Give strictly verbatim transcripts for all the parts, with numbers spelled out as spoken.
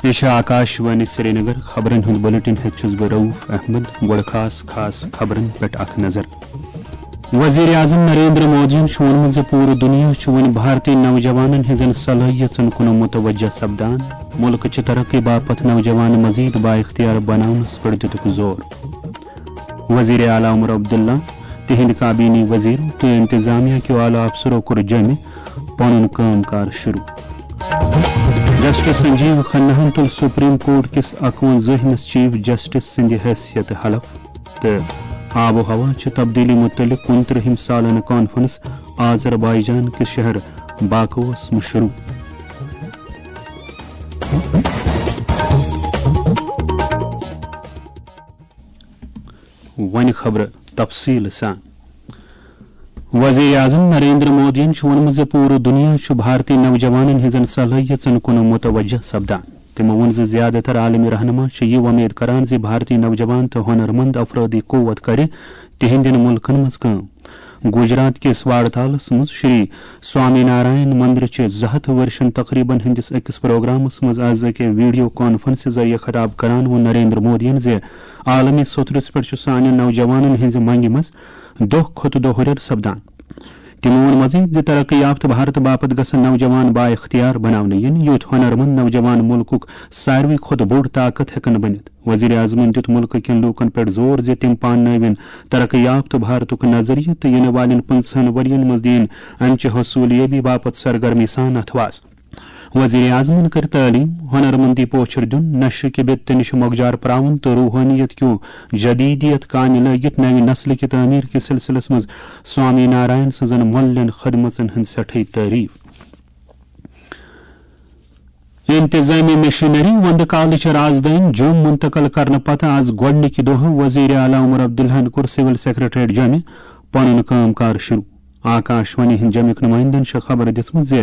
یہِ چھِ آکاش وانی سرینگر۔ خبرن ہُنٛد بلیٹن ہیٚتھ چھُس بہٕ رؤف احمد۔ گۄڈٕ خاص خاص خبرن پٮ۪ٹھ اکھ نظر۔ وزیر اعظم نریندر مودیَن چھُ ووٚنمُت زِ پوٗرٕ دُنیا چھُ وۄنۍ بھارتی نوجوانن ہٕنٛزن صلٲحیژن کُن متوجہ سپدان۔ مُلکہٕ چہِ ترقی باپتھ نوجوان مزید بااختیار بناونس پٮ۪ٹھ دِتُکھ زور۔ وزیر اعلیٰ عمر عبداللہ، تِہنٛدۍ کابینی وزیر تہٕ انتظامیہ کیو اعلیٰ افسرو کوٚر جوٚمہِ پنُن کٲم کار شروع۔ جسٹس سنجیو کھناہن تُل سپریم کورٹ کِس اکوَنزٲہمِس چیف جسٹس سٕنٛدِ حیثیت حلف۔ تہٕ آب و ہوا چہِ تبدیلی متعلق کُنترٕہِم سالانہٕ کانفرنس آذربائیجان کِس شہر باکوس منٛز شروع۔ وۄنۍ خبرٕ تفصیٖل سان۔ وزیر اعظم نریندر مودیَن چھُ ووٚنمُت زِ پوٗرٕ دُنیا چھُ بھارتی نوجوانن ہٕنٛزن صلٲحیژن کُن متوجہ سپدان۔ تِمو ووٚن زِ زیادٕ تر عالمی رہنما چھِ یہِ وۄمید کران زِ بھارتی نوجوان تہٕ ہۄنرمند افرٲدی قوت کرِ تِہنٛدٮ۪ن مُلکن منٛز کٲم۔ گجرات کِس واڑتالس منٛز شری سوامی نارائن مندر چہِ زٕ ہتھ ؤرشن تقریبن ہٕنٛدِس أکِس پروگرامس منٛز از أکہِ ویڈیو کانفرنسہِ ذٔریعہٕ خطاب کران ووٚن نریندر مودیَن زِ عالمی سطحس پٮ۪ٹھ چھُ سانٮ۪ن نوجوانن ہٕنٛزِ منگہِ منٛز دۄہ کھۄتہٕ دۄہ ہُرٮ۪ر سپدان۔ تِمو ووٚن مزید زِ ترقی یافتہٕ بھارت باپتھ گژھن نوجوان بااختیار بناونہٕ یِنۍ، یُتھ ہۄنرمند نوجوان مُلکُک ساروی کھۄتہٕ بوٚڑ طاقت ہٮ۪کن بٔنِتھ۔ وزیر اعظمن دِیُت مُلکہٕ کٮ۪ن لوٗکن پٮ۪ٹھ زور زِ تِم پاننٲوِن ترقی یافتہٕ بھارتُک نظریہ تہٕ یِنہٕ والٮ۪ن پٕنٛژٕہن ؤرین منٛز دِیِن امچہِ حصوٗلیٲبی باپتھ سرگرمی سان اتھواس۔ وزیر اعظمن کٔر تعلیٖم، ہۄنرمندی پوچھر دیُن، نشہٕ کہِ بِتہٕ نِش مۄکجار پراوُن تہٕ روحٲنیت کیو جدیدیت کامہِ لٲگِتھ نوِ نسلہٕ کہِ تعمیٖر کِس سلسلس منٛز سوامی نارائن سٕنٛزن مۄللٮ۪ن خدمژن ہٕنٛز سٮ۪ٹھٕے تعریٖف۔ انتظامی مشینری وندٕ کالٕچ رازدٲنۍ جوٚم منتقل کرنہٕ پتہٕ آز گۄڈٕنِکہِ دۄہہٕ وزیر اعلیٰ عمر عبداللہن کوٚر سول سیکرٹریٹ جوٚمہِ پنُن کٲم کار شروع۔ آکاش وانی ہٕنٛدۍ جوٚمِکۍ نُمٲیندن چھےٚ خبر دِژمٕژ زِ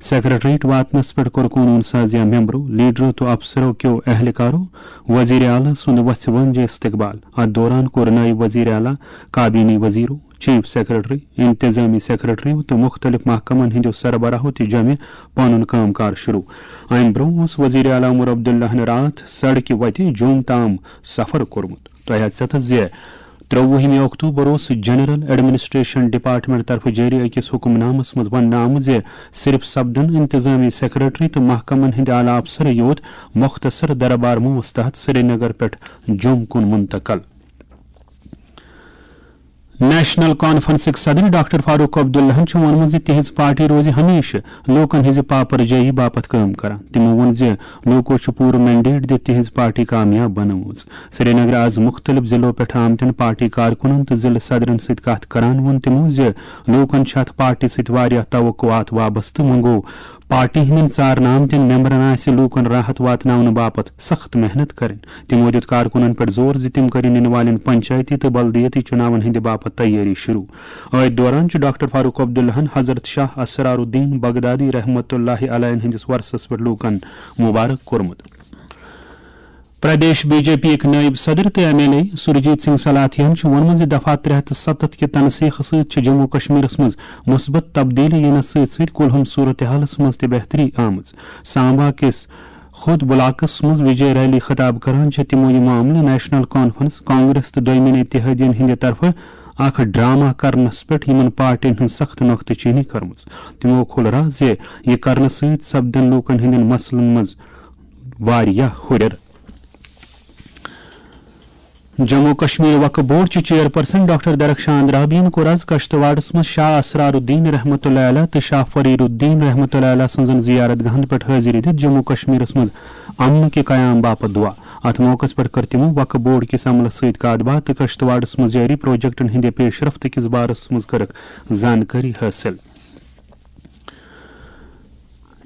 سیکرٹریٹ واتنس پٮ۪ٹھ کوٚر قونوٗن سازیہ ممبرو، لیڈرو تہٕ افسرو کیو اہلکارو وزیر اعلیٰ سُنٛد وژھِ وٲنٛجہِ استقبال۔ اتھ دوران کوٚر نٲیِب وزیر اعلیٰ، کابینی وزیرو، چیف سیکرٹری، انتظامی سیکرٹریو تہٕ مُختٔلِف محکمن ہٕنٛدیو سربراہو تہِ جوٚمہِ پنُن کٲم کار شروع۔ امہِ برٛونٛہہ اوس وزیر اعلیٰ عمر عبداللہن راتھ سڑکہِ وتہِ جوٚم تام سفر کوٚرمُت۔ تۄہہِ آسہِ ژےٚ تہٕ زِ ترٛۆوُہمہِ اکتوبر اوس جنرل ایڈمنسٹریشن ڈپارٹمنٹ طرفہٕ جٲری أکِس حکم نامس منٛز وننہٕ آمُت زِ صرف سپدن انتظامی سیکرٹری تہٕ محکمن ہٕنٛدۍ اعلیٰ افسرے یوت مختصر دربار موس تحت سرینگر پٮ۪ٹھ جوٚم کُن منتقل۔ نیشنل کانفرنسٕکۍ صدر ڈاکٹر فاروق عبداللہن چھُ ووٚنمُت زِ تِہنٛز پارٹی روزِ ہمیشہٕ لوٗکن ہٕنٛزِ پاپر جٲیی باپتھ کٲم کران۔ تِمو ووٚن زِ لوٗکو چھُ پوٗرٕ مینڈیٹ دِتھ تِہنٛز پارٹی کامیاب بنٲومٕژ۔ سرینگرٕ آز مُختٔلِف ضلعو پٮ۪ٹھ آمتٮ۪ن پارٹی کارکُنن تہٕ ضلعہٕ صدرن سۭتۍ کتھ کران ووٚن تِمو زِ لوٗکن چھِ اتھ پارٹی سۭتۍ واریاہ توقعات وابستہٕ۔ وۄنۍ گوٚو پارٹی ہٕنٛدٮ۪ن ژارنہٕ آمتٮ۪ن ممبرن آسہِ لوٗکن راحت واتناونہٕ باپتھ سخت محنت کرٕنۍ۔ تِمو دِیُت کارکُنن پٮ۪ٹھ زور زِ تِم کٔرِن یِنہٕ والٮ۪ن پنچایتی تہٕ بلدیٲتی چُناون ہٕنٛدِ باپتھ تیٲری شروع۔ أتھۍ دوران چھُ ڈاکٹر فاروق عبداللہن حضرت شاہ اسرار الدین بغدادی رحمتہ اللہ علیہ ہٕنٛدِس وۄرثس پٮ۪ٹھ لوٗکن مبارک کوٚرمُت۔ پردیش بی جے پی یِکۍ نٲیِب صدر تہٕ ایم ایل اے سُرجیت سنگھ سلاتھیاہن چھُ ووٚنمُت زِ دفعہ ترٛےٚ ہتھ تہٕ ستتھ کہِ تنسیخہٕ سۭتۍ چھِ جموں کشمیرس منٛز مثبت تبدیلی یِنس سۭتۍ سۭتۍ کُلہُم صورتحالس منٛز تہِ بہتری آمٕژ۔ سامبا کِس خود بلاکس منٛز وجے ریلی خطاب کران چھِ تِمو یہِ معاملہٕ نیشنل کانفرنس، کانگریس تہٕ دوٚیمٮ۪ن اتحادین ہٕنٛدِ طرفہٕ اکھ ڈرامہ کرنس پٮ۪ٹھ، یِمن پارٹین ہٕنٛز سخت نۄختہٕ چینی کٔرمٕژ۔ تِمو کھول راز زِ یہِ کرنہٕ سۭتۍ سپدن لوٗکن ہٕنٛدٮ۪ن مسلن منٛز واریاہ ہُرٮ۪ر۔ جموں کشمیر وقف بورڈ چہِ چیئرپرسن ڈاکٹر درخشان رابین کوٚر از کشتواڑس منٛز شاہ اسرار الدین رحمتہ اللہ علیہ تہٕ شاہ فرید الدین رحمتہ اللہ علیہ سٕنٛزن زیارت گاہن پٮ۪ٹھ حٲضری دِتھ جموں کشمیرس منٛز امنہٕ کہِ قیام باپتھ دعا۔ اتھ موقعس پٮ۪ٹھ کٔر تِمو وقف بورڈ کِس عملس سۭتۍ کتھ باتھ تہٕ کشتواڑس منٛز جٲری پروجیکٹن ہٕنٛدِ پیش رفت کِس بارس منٛز کٔرٕکھ زانکٲری حٲصِل۔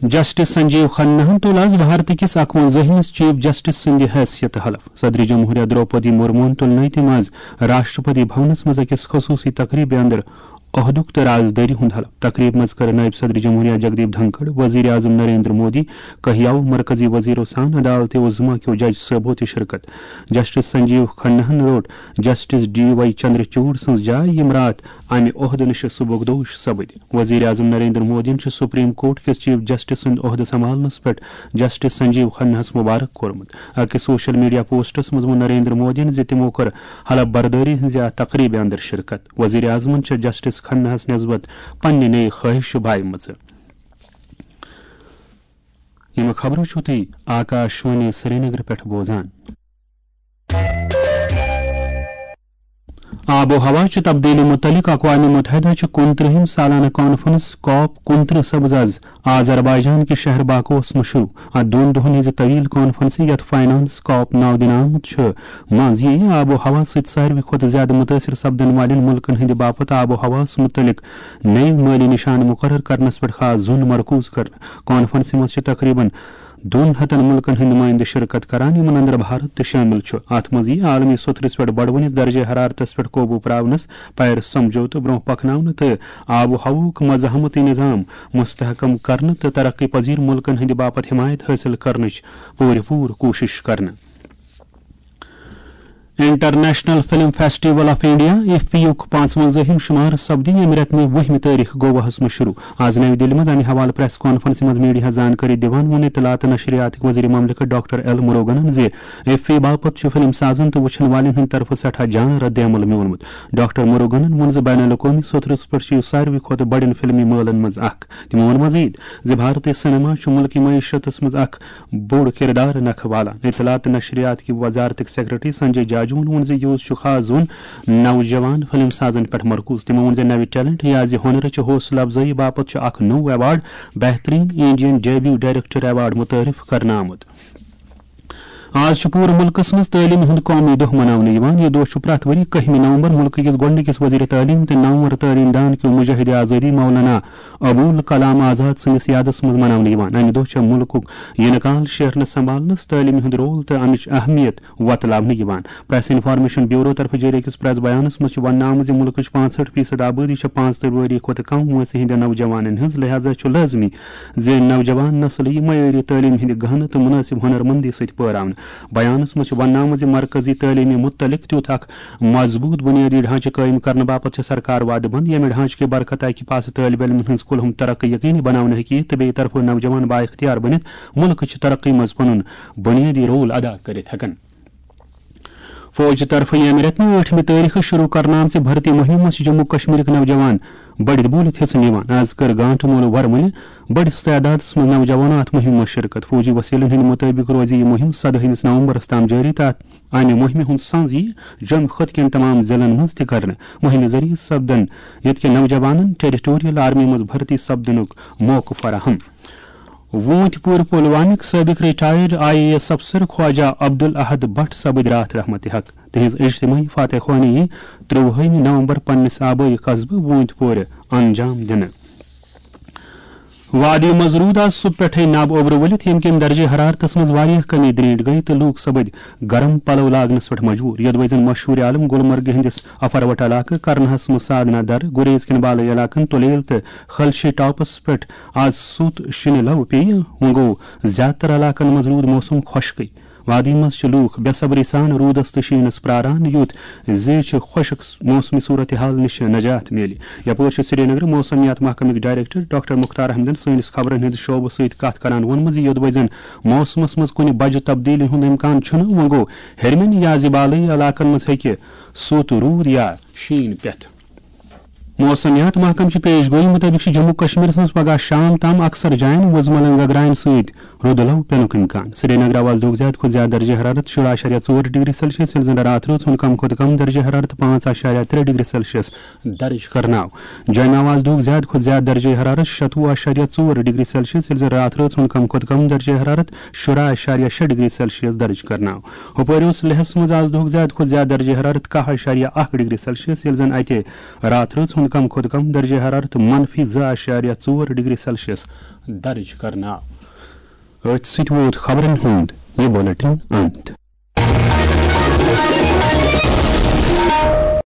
جسٹس سنجیو کھناہن تُل از بھارت کِس اکوَنزٲہمِس چیف جسٹس سٕنٛدِ حیثیت حلف۔ صدر جمہوریہ دروپدی مرموہن تُل نٔے تِم از راشٹرپتی بھونس منٛز أکِس خصوٗصی تقریبہِ اندر عہدُک تہٕ رازدٲری ہُنٛد حلف۔ تقریب منٛز کٔر نٲیِب صدر جمہوریہ جگدیپ دھنکھڑ، وزیر اعظم نریندر مودی، کہیاو مرکزی وزیرو سان عدالت عظمیٰ کیو جج صٲبو تہِ شرکت۔ جسٹس سنجیو کھناہن روٚٹ جسٹس ڈی وائی چندرچوڑ سٕنٛز جاے، یِم راتھ امہِ عہدٕ نِش سبکدوش سپٕدۍ۔ وزیر اعظم نریندر مودیَن چھُ سپریم کورٹ کِس چیف جسٹس سُنٛد عہدٕ سنبھالنس پٮ۪ٹھ جسٹس سنجیو کھناہس مبارک کوٚرمُت۔ أکِس سوشل میڈیا پوسٹس منٛز ووٚن نریندر مودیَن زِ تِمو کٔر حلف بردٲری ہٕنٛزِ اَتھ تقریبہِ اندر شرکت۔ وزیر اعظمَن چھےٚ جسٹس کھناہَس نسبت پننہِ نیک خواہش بایمژٕ۔ یِم خبرٕ چھِو تُہۍ آکاش وانی سرینگر پٮ۪ٹھ بوزان۔ آب و ہوا چہِ تبدیلی متعلق اقوام متحدہ چہِ کُنترٛہِم سالانہ کانفرنس کاپ کُنترٛہس آز آذربائیجان کِس شہر باکوس منٛز شروع۔ اتھ دۄن دۄہن ہٕنٛزِ طویل کانفرنسہِ، یتھ فائنانس کاپ ناو دِنہٕ آمُت چھُ، منٛز یِیہِ آب و ہوا سۭتۍ ساروی کھۄتہٕ زیادٕ مُتٲثِر سپدن والٮ۪ن مُلکن ہٕنٛدِ باپتھ آب و ہواہَس مُتعلق نٔوۍ مٲلی نِشانہٕ مُقرر کرنس پٮ۪ٹھ خاص زوٚن مرکوز کرنہٕ۔ کانفرنسہِ منٛز چھِ تقریباً دۄن ہتن مُلکن ہٕنٛدۍ نُمٲیندٕ شرکت کران، یِمن اندر بھارت تہِ شٲمِل چھُ۔ اتھ منٛز یِیہِ عالمی سوٚتھرِس پٮ۪ٹھ بڑوٕنِس درجہ حرارتس پٮ۪ٹھ قوبوٗ پراونس، پیرس سمجھوتہٕ برٛونٛہہ پکناونہٕ تہٕ آب و ہوہُک مزاحمتی نظام مستحکم کرنہٕ تہٕ ترقی پذیر ملکن ہٕنٛدِ باپتھ حمایت حٲصِل کرنٕچ پوٗرٕ پوٗرٕ کوٗشش کرنہٕ۔ International film festival of India, IFFI یُک پانٛژوَنزٲہِم شمار سپدِ ییٚمہِ رٮ۪تہٕ نہِ وُہمہِ تٲریخ گواہس منٛز شروع۔ آز نَوِ دِلہِ منٛز امہِ حوالہٕ پریس کانفرنسہِ منٛز میڈیاہس زانکٲری دِوان ووٚن اطلاعات تہٕ نشریاتٕکۍ وزیر مملکت ڈاکٹر ایل مروگنن زِ ایف فی باپتھ چھُ فلم سازن تہٕ وٕچھن والٮ۪ن ہٕنٛدِ طرفہٕ سٮ۪ٹھاہ جان رد عمل میولمُت۔ ڈاکٹر مروگنن ووٚن زِ بین الاقوٲمی سطحس پٮ۪ٹھ چھُ یہِ ساروی کھۄتہٕ بڑٮ۪ن فلمی مٲلن منٛز اکھ۔ تِمو ووٚن مزید زِ بھارتی سینما چھُ مُلکی معیشتس منٛز اکھ بوٚڑ کردار نکھٕ والان۔ اطلاعات تہٕ نشریات کہِ وزارتٕکۍ سیکرٹری سنجے جاجوَن ووٚن زِ یوٗز چھُ خاص زوٚن نوجوان فلم سازن پٮ۪ٹھ مرکوز۔ تِمو ووٚن زِ نوِ ٹیلنٹ یا زِ ہُنرٕچہِ حوصلہٕ افزٲیی باپتھ چھُ اکھ نوٚو ایوارڈ بہترین انڈین ڈیبیو ڈائریکٹر ایوارڈ متعارف کرنہٕ آمُت۔ آز چھُ پوٗرٕ مُلکَس منٛز تعلیٖمہِ ہُنٛد قومی دۄہ مناونہٕ یِوان۔ یہِ دۄہ چھُ پرٛٮ۪تھ ؤری کٔہمہِ نومبر مُلکہٕ کِس گۄڈٕنِکِس وزیر تعلیٖم تہٕ نامور تعلیٖم دان کیو مجاہد آزٲدی مولانا ابوالکلام آزاد سٕنٛدِس یادس منٛز مناونہٕ یِوان۔ امہِ دۄہ چھےٚ مُلکُک یِنہٕ کال شیرنہٕ سنبھالنس، تعلیٖمہِ ہُنٛد رول تہٕ امِچ اہمیت وۄتلاونہٕ یِوان۔ پریس انفارمیشن بیورو طرفہٕ جٲری أکِس پریس بیانس منٛز چھُ وننہٕ آمُت زِ مُلکٕچ پانٛژہٲٹھ فیصد آبٲدی چھےٚ پانٛژتٲجی ؤری کھۄتہٕ کم وٲنٛسہِ ہٕنٛدٮ۪ن نوجوانن ہٕنٛز، لہذا چھُ لٲزمی زِ نوجوان نسل یِیہِ معیٲری تعلیٖم ہٕنٛدِ گہنہٕ تہٕ مُنٲسِب ہُنرمندی سۭتۍ پٲراونہٕ۔ بیانس منٛز چھُ وننہٕ آمُت زِ مرکزی تعلیٖمہِ مُتعلق تیُتھ اکھ مضبوٗط بُنیٲدی ڈھانچہٕ قٲیِم کرنہٕ باپتھ چھےٚ سرکار وعدٕ بنٛد، ییٚمہِ ڈھانچہٕ کہِ برکت اکہِ پاسہٕ طٲلب علمن ہٕنٛز کُلہُم ترقی یقینی بناونہٕ ہیٚکہِ یِتھ تہٕ بیٚیہِ طرفہٕ نوجوان بااختیار بٔنِتھ مُلکٕچ ترقی منٛز پنُن بُنیٲدی رول ادا کٔرِتھ ہٮ۪کن۔ فوج طرفہٕ ییٚمہِ رٮ۪تہٕ نہِ ٲٹھمہِ تٲریخہٕ شروع کرنہٕ آمژِ بھرتی مُہِمہِ منٛز چھِ جموں کشمیرٕکۍ نوجوان بٔڑِتھ بوٗلِتھ حصہٕ نِوان۔ از کٔر گانٹہٕ مول ورمُلہِ بٔڑِس تعدادس منٛز نوجوانو اتھ مُہِمہِ منٛز شرکت۔ فوجی وسیلن ہٕنٛدِ مُطٲبِق روزِ یہِ مُہِم سدٲہمِس نومبرس تام جٲری تہٕ اتھ امہِ مُہِمہِ ہُنٛد سنز یی جوٚمہِ خٕطہٕ کٮ۪ن تمام ضلعن منٛز تہِ کرنہٕ۔ مُہِمہِ ذٔریعہٕ سپدن ییٚتہِ کٮ۪ن نوجوانن ٹیریٹوریل آرمی منٛز بھرتی سپدنُک موقعہٕ فراہم۔ ووٗنٛتۍ پوٗرٕ پُلوامِک سٲبِق ریٹائرڈ آئی اے ایس افسر خواجہ عبدالاحد بٹ سپٕدۍ راتھ رحمتِ حق۔ تِہنٛز اجتماعی فاتح خوانی یی ترٛۆوُہمہِ نومبر پننِس آبٲیی قصبہٕ ووٗنٛتۍ پورِ انجام دِنہٕ۔ وادی منٛز روٗد آز صبح پٮ۪ٹھَے نب اوٚبرٕ ؤلِتھ، ییٚمہِ کِنۍ درجہ حرارتس منٛز واریاہ کمی، درینٹھ گٔیہِ تہٕ لوٗکھ سپٕدۍ گرم پلو لاگنس پٮ۪ٹھ مجبوٗر۔ یوٚدوَے زن مشہوٗر عالم گلمرگ ہٕنٛدِس افروٹ علاقہٕ کرنہس منٛز سادنا در، گریز کٮ۪ن بالٲیی علاقن، تُلیل تہٕ خلشی ٹاپس پٮ۪ٹھ آز سوٚت شِنہٕ لو پیٚیہِ، وۄنۍ گوٚو زیادٕ تر علاقن منٛز روٗد موسم خۄشکٕے۔ وادی منٛز چھِ لوٗکھ بے صبری سان روٗدس تہٕ شیٖنس پراران، یُتھ زِ چھِ خۄشک موسمی صورتحال نِش نجات میلہِ۔ یپٲرۍ چھُ سرینگرٕ موسمیات محکمٕکۍ ڈائریکٹر ڈاکٹر مختار احمدن سٲنِس خبرن ہٕنٛدِ شعبہٕ سۭتۍ کتھ کران ووٚنمُت زِ یوٚدوَے زن موسمس منٛز کُنہِ بجہِ تبدیلی ہُنٛد امکان چھُنہٕ، وۄنۍ گوٚو ہیٚرمٮ۪ن یا زِ بالٲیی علاقن منٛز ہیٚکہِ سوٚت روٗد یا شیٖن پٮ۪تھ۔ موسمیات محکمہٕ چہِ پیش گویی مُطٲبِق چھِ جموں کشمیرس منٛز پگہہ شام تام اکثر جاین وُزملن گگراین سۭتۍ رُدٕ لو پینُک امکان۔ سرینگر آو آز دۄہُک زیادٕ کھۄتہٕ زیادٕ درجہ حرارت شُراہ اعشاریہ ژور ڈگری سیلسیس، ییٚلہِ زن راتھ رٲژ ہُنٛد کم کھۄتہٕ کم درجہ حرارت پانٛژھ اعشاریہ ترٛےٚ ڈگری سیلسیس درج کرنہٕ آو۔ جوٚمہِ آو آز دۄہُک زیادٕ کھۄتہٕ زیادٕ درجہ حرارت شتوُہ اعشاریہ ژور ڈگری سیلسیس، ییٚلہِ زن راتھ رٲژ ہُنٛد کم کھۄتہٕ کم درجہ حرارت شُراہ اعشاریہ شےٚ ڈگری سیلسیس درج کرنہٕ آو۔ ہُپٲرۍ اوس لیہس منٛز آز دۄہُک زیادٕ کھۄتہٕ زیادٕ درجہ حرارت کاہ اعشاریہ اکھ ڈگری سیلسیس، ییٚلہِ زن اتہِ راتھ رٲژ ہُنٛد کم کھۄتہٕ کم درجہ حرارت منفی زٕ اعشاریہ ژور ڈگری سیلسیس درج کرنہٕ آو۔ أتھۍ سۭتۍ ووت خبرن ہُنٛد یہِ بُلٹن انت۔